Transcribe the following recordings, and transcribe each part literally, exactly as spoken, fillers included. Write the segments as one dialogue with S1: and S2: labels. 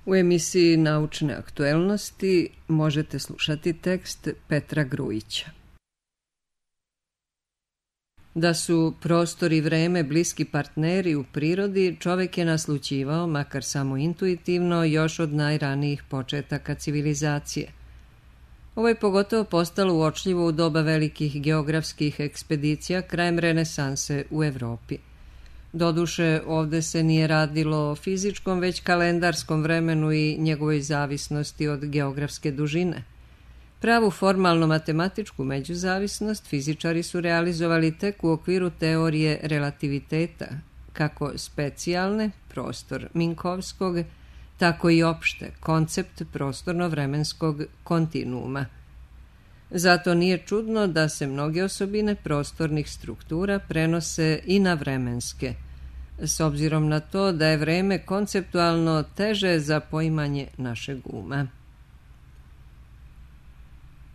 S1: U emisiji Naučne aktuelnosti možete slušati tekst Petra Grujića. Da su prostor i vreme bliski partneri u prirodi, čovek je naslućivao, makar samo intuitivno, još od najranijih početaka civilizacije. Ovo je pogotovo postalo uočljivo u doba velikih geografskih ekspedicija krajem renesanse u Evropi. Doduše, ovde se nije radilo o fizičkom, već kalendarskom vremenu i njegovoj zavisnosti od geografske dužine. Pravu formalno-matematičku međuzavisnost fizičari su realizovali tek u okviru teorije relativiteta, kako specijalne, prostor Minkovskog, tako i opšte, koncept prostorno-vremenskog kontinuuma. Zato nije čudno da se mnoge osobine prostornih struktura prenose i na vremenske, s obzirom na to da je vreme konceptualno teže za poimanje našeg uma.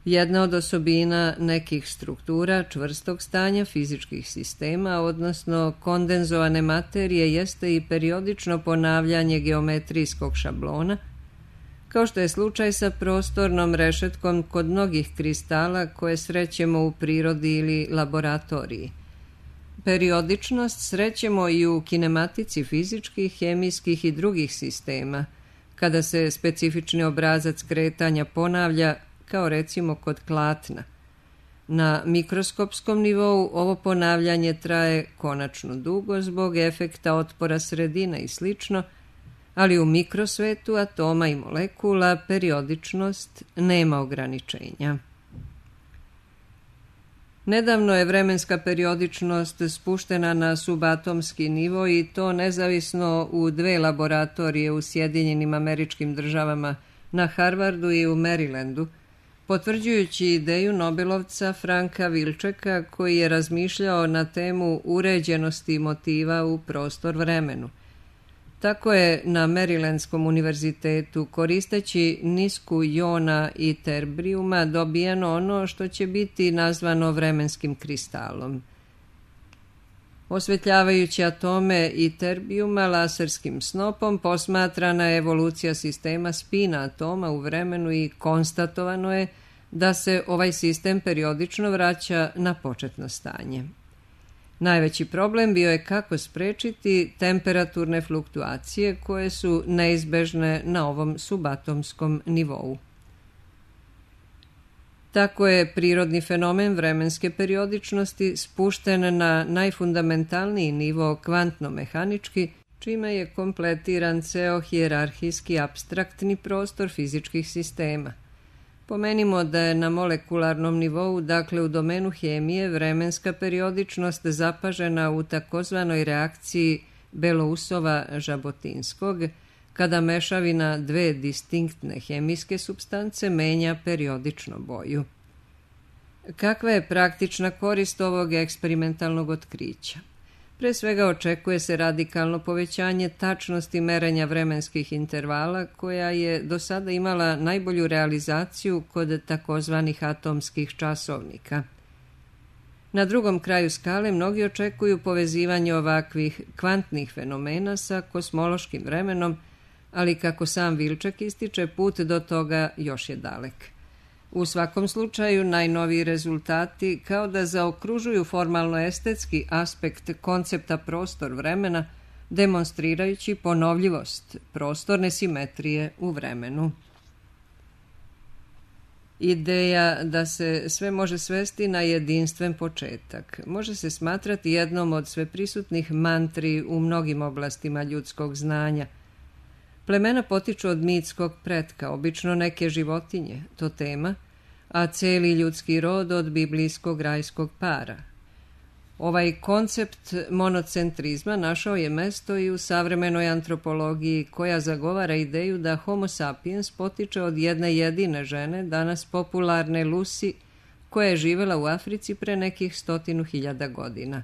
S1: Jedna od osobina nekih struktura čvrstog stanja fizičkih sistema, odnosno kondenzovane materije, jeste i periodično ponavljanje geometrijskog šablona, kao što je slučaj sa prostornom rešetkom kod mnogih kristala koje srećemo u prirodi ili laboratoriji. Periodičnost srećemo i u kinematici fizičkih, hemijskih i drugih sistema, kada se specifični obrazac kretanja ponavlja, kao recimo kod klatna. Na mikroskopskom nivou ovo ponavljanje traje konačno dugo zbog efekta otpora sredine i slično, ali u mikrosvetu atoma i molekula periodičnost nema ograničenja. Nedavno je vremenska periodičnost spuštena na subatomski nivo i to nezavisno u dve laboratorije u Sjedinjenim Američkim Državama, na Harvardu i u Marylandu, potvrđujući ideju Nobelovca Franka Wilczeka koji je razmišljao na temu uređenosti motiva u prostor-vremenu. Tako je na Marylandskom univerzitetu, koristeći nisku jona i terbrijuma, dobijeno ono što će biti nazvano vremenskim kristalom. Osvetljavajući atome i terbijuma laserskim snopom, posmatrana je evolucija sistema spina atoma u vremenu i konstatovano je da se ovaj sistem periodično vraća na početno stanje. Najveći problem bio je kako sprečiti temperaturne fluktuacije koje su neizbežne na ovom subatomskom nivou. Tako je prirodni fenomen vremenske periodičnosti spušten na najfundamentalniji nivo kvantno-mehanički, čime je kompletiran ceo hijerarhijski apstraktni prostor fizičkih sistema. Pomenimo da je na molekularnom nivou, dakle u domenu hemije, vremenska periodičnost zapažena u takozvanoj reakciji Belousova-Žabotinskog, kada mešavina dve distinktne hemijske supstance menja periodično boju. Kakva je praktična korist ovog eksperimentalnog otkrića? Pre svega očekuje se radikalno povećanje tačnosti merenja vremenskih intervala, koja je do sada imala najbolju realizaciju kod takozvanih atomskih časovnika. Na drugom kraju skale mnogi očekuju povezivanje ovakvih kvantnih fenomena sa kosmološkim vremenom, ali kako sam Wilczek ističe, put do toga još je dalek. U svakom slučaju, najnoviji rezultati kao da zaokružuju formalno-estetski aspekt koncepta prostor-vremena, demonstrirajući ponovljivost prostorne simetrije u vremenu. Ideja da se sve može svesti na jedinstven početak može se smatrati jednom od sveprisutnih mantri u mnogim oblastima ljudskog znanja. Plemena potiču od mitskog pretka, obično neke životinje, totema, a celi ljudski rod od biblijskog rajskog para. Ovaj koncept monocentrizma našao je mesto i u savremenoj antropologiji, koja zagovara ideju da Homo sapiens potiče od jedne jedine žene, danas popularne Lucy, koja je živela u Africi pre nekih stotinu hiljada godina.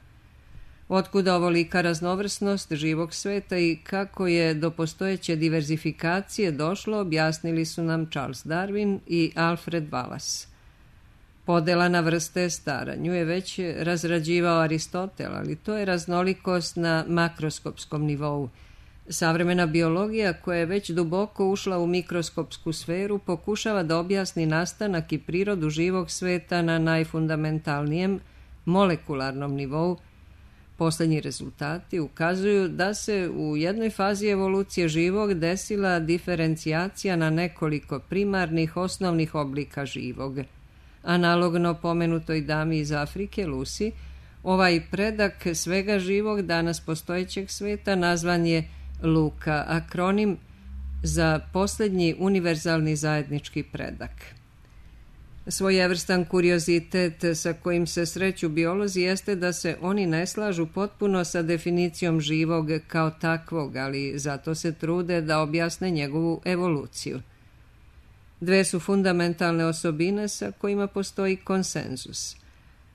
S1: Otkuda ovolika raznovrsnost živog sveta i kako je do postojeće diverzifikacije došlo, objasnili su nam Charles Darwin i Alfred Wallace. Podela na vrste stara, nju je već razrađivao Aristotel, ali to je raznolikost na makroskopskom nivou. Savremena biologija, koja je već duboko ušla u mikroskopsku sferu, pokušava da objasni nastanak i prirodu živog sveta na najfundamentalnijem molekularnom nivou. Poslednji rezultati ukazuju da se u jednoj fazi evolucije živog desila diferencijacija na nekoliko primarnih osnovnih oblika živog. Analogno pomenutoj dami iz Afrike, Lucy, ovaj predak svega živog danas postojećeg sveta nazvan je Luka, akronim za poslednji univerzalni zajednički predak. Svojevrstan kuriozitet sa kojim se sreću biolozi jeste da se oni ne slažu potpuno sa definicijom živog kao takvog, ali zato se trude da objasne njegovu evoluciju. Dve su fundamentalne osobine sa kojima postoji konsenzus.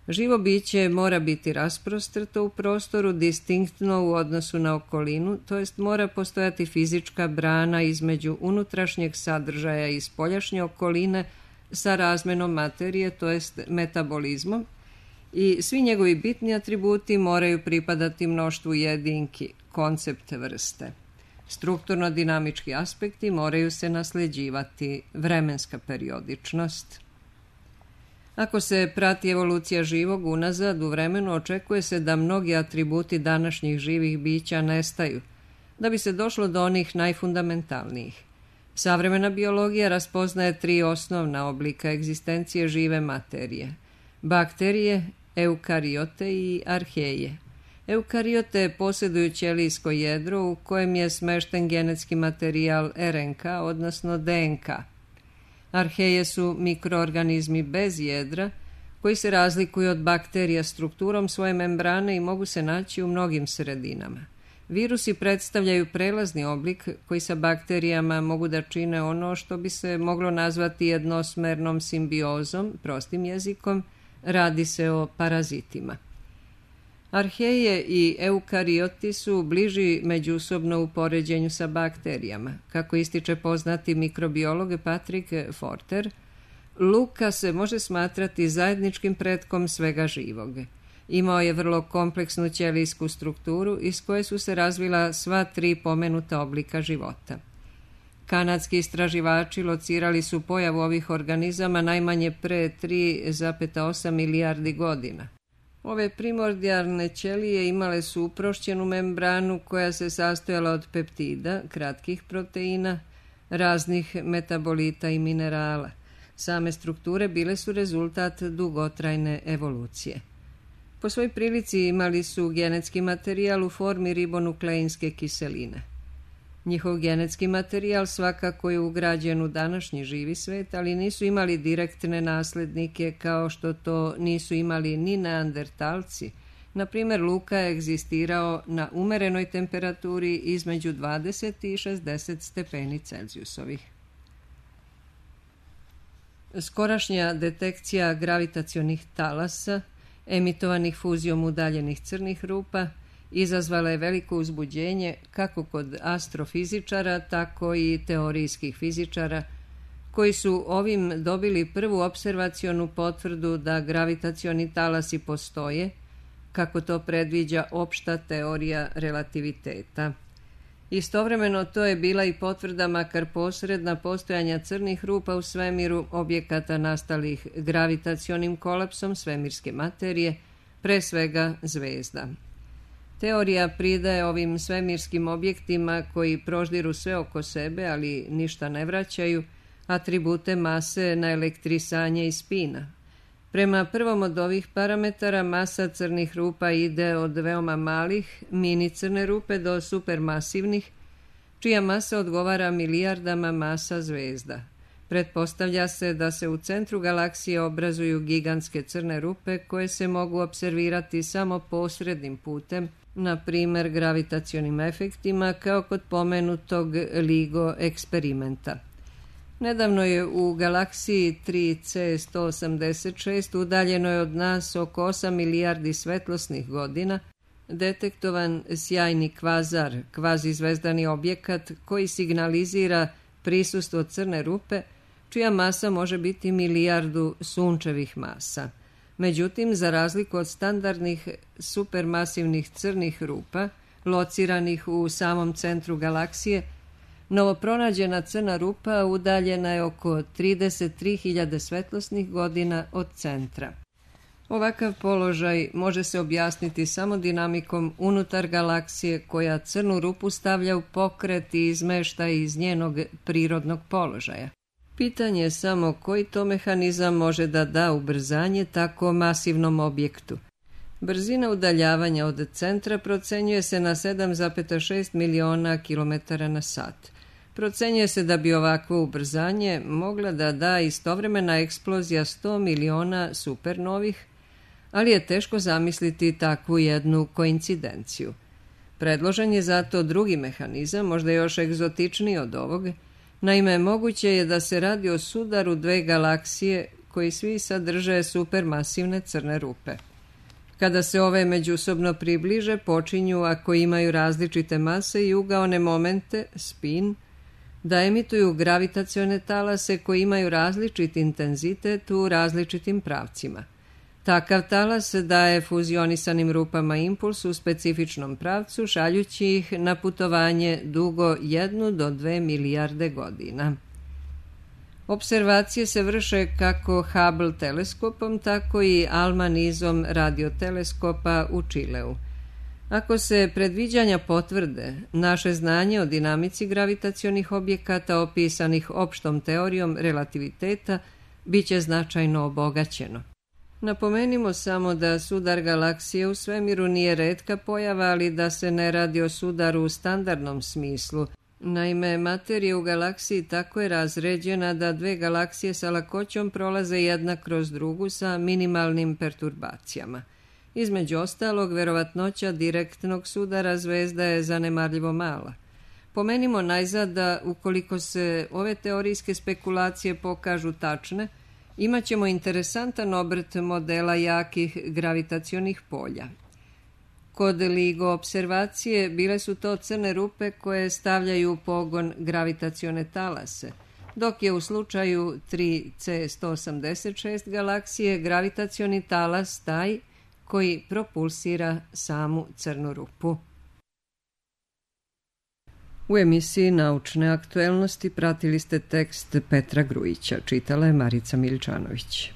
S1: Živo biće mora biti rasprostrto u prostoru, distinktno u odnosu na okolinu, to jest mora postojati fizička brana između unutrašnjeg sadržaja i spoljašnje okoline sa razmenom materije, to jest metabolizmom, i svi njegovi bitni atributi moraju pripadati mnoštvu jedinki, koncept vrste. Strukturno-dinamički aspekti moraju se nasljeđivati, vremenska periodičnost. Ako se prati evolucija živog unazad u vremenu, očekuje se da mnogi atributi današnjih živih bića nestaju, da bi se došlo do onih najfundamentalnijih. Savremena biologija raspoznaje tri osnovna oblika egzistencije žive materije: bakterije, eukariote i arheje. Eukariote posjeduju ćelijsko jedro u kojem je smešten genetski materijal er en ka, odnosno de en ka. Arheje su mikroorganizmi bez jedra koji se razlikuju od bakterija strukturom svoje membrane i mogu se naći u mnogim sredinama. Virusi predstavljaju prelazni oblik koji sa bakterijama mogu da čine ono što bi se moglo nazvati jednosmernom simbiozom, prostim jezikom, radi se o parazitima. Arheje i eukarioti su bliži međusobno u poređenju sa bakterijama. Kako ističe poznati mikrobiolog Patrick Forter, Luka se može smatrati zajedničkim pretkom svega živog. Imao je vrlo kompleksnu ćelijsku strukturu iz koje su se razvila sva tri pomenuta oblika života. Kanadski istraživači locirali su pojavu ovih organizama najmanje pre tri zarez osam milijardi godina. Ove primordijalne ćelije imale su uprošćenu membranu koja se sastojala od peptida, kratkih proteina, raznih metabolita i minerala. Same strukture bile su rezultat dugotrajne evolucije. Po svoj prilici imali su genetski materijal u formi ribonukleinske kiseline. Njihov genetski materijal svakako je ugrađen u današnji živi svet, ali nisu imali direktne naslednike kao što to nisu imali ni neandertalci. Na primjer, Luka je egzistirao na umerenoj temperaturi između dvadeset i šezdeset stepeni Celzijusovih. Skorašnja detekcija gravitacionih talasa, emitovanih fuzijom udaljenih crnih rupa, izazvala je veliko uzbuđenje kako kod astrofizičara, tako i teorijskih fizičara, koji su ovim dobili prvu observacionu potvrdu da gravitacioni talasi postoje, kako to predviđa opšta teorija relativiteta. Istovremeno to je bila i potvrda, makar posredna, postojanja crnih rupa u svemiru, objekata nastalih gravitacionim kolapsom svemirske materije, pre svega zvezda. Teorija pridaje ovim svemirskim objektima, koji proždiru sve oko sebe, ali ništa ne vraćaju, atribute mase na elektrisanje i spina. Prema prvom od ovih parametara, masa crnih rupa ide od veoma malih, mini crne rupe, do supermasivnih, čija masa odgovara milijardama masa zvezda. Pretpostavlja se da se u centru galaksije obrazuju gigantske crne rupe koje se mogu observirati samo posrednim putem, na primjer gravitacionim efektima, kao kod pomenutog LIGO eksperimenta. Nedavno je u galaksiji tri ce sto osamdeset šest, udaljeno je od nas oko osam milijardi svetlosnih godina, detektovan sjajni kvazar, kvazizvezdani objekat koji signalizira prisustvo crne rupe, čija masa može biti milijardu sunčevih masa. Međutim, za razliku od standardnih supermasivnih crnih rupa, lociranih u samom centru galaksije, novopronađena crna rupa udaljena je oko trideset tri hiljade svetlosnih godina od centra. Ovakav položaj može se objasniti samo dinamikom unutar galaksije koja crnu rupu stavlja u pokret i izmešta iz njenog prirodnog položaja. Pitanje je samo koji to mehanizam može da da ubrzanje tako masivnom objektu. Brzina udaljavanja od centra procenjuje se na sedam zarez šest miliona kilometara na sat. Procenjuje se da bi ovakvo ubrzanje mogla da da istovremena eksplozija sto miliona supernovih, ali je teško zamisliti takvu jednu koincidenciju. Predložen je zato drugi mehanizam, možda još egzotičniji od ovog. Naime, moguće je da se radi o sudaru dve galaksije koji svi sadrže supermasivne crne rupe. Kada se ove međusobno približe, počinju, ako imaju različite mase i ugaone momente, spin, da emituju gravitacione talase koji imaju različit intenzitet u različitim pravcima. Takav talas daje fuzionisanim rupama impuls u specifičnom pravcu, šaljući ih na putovanje dugo jednu do dve milijarde godina. Observacije se vrše kako Hubble teleskopom, tako i ALMA nizom radioteleskopa u Čileu. Ako se predviđanja potvrde, naše znanje o dinamici gravitacionih objekata opisanih opštom teorijom relativiteta biće značajno obogaćeno. Napomenimo samo da sudar galaksije u svemiru nije retka pojava, ali da se ne radi o sudaru u standardnom smislu. Naime, materija u galaksiji tako je razređena da dve galaksije sa lakoćom prolaze jedna kroz drugu sa minimalnim perturbacijama. Između ostalog, verovatnoća direktnog sudara zvezda je zanemarljivo mala. Pomenimo najzad da, ukoliko se ove teorijske spekulacije pokažu tačne, imaćemo interesantan obrt modela jakih gravitacionih polja. Kod LIGO observacije bile su to crne rupe koje stavljaju u pogon gravitacione talase, dok je u slučaju tri C sto osamdeset šest galaksije gravitacioni talas taj koji propulsira samu crnu rupu. U emisiji Naučne aktuelnosti pratili ste tekst Petra Grujića, čitala je Marica Miličanović.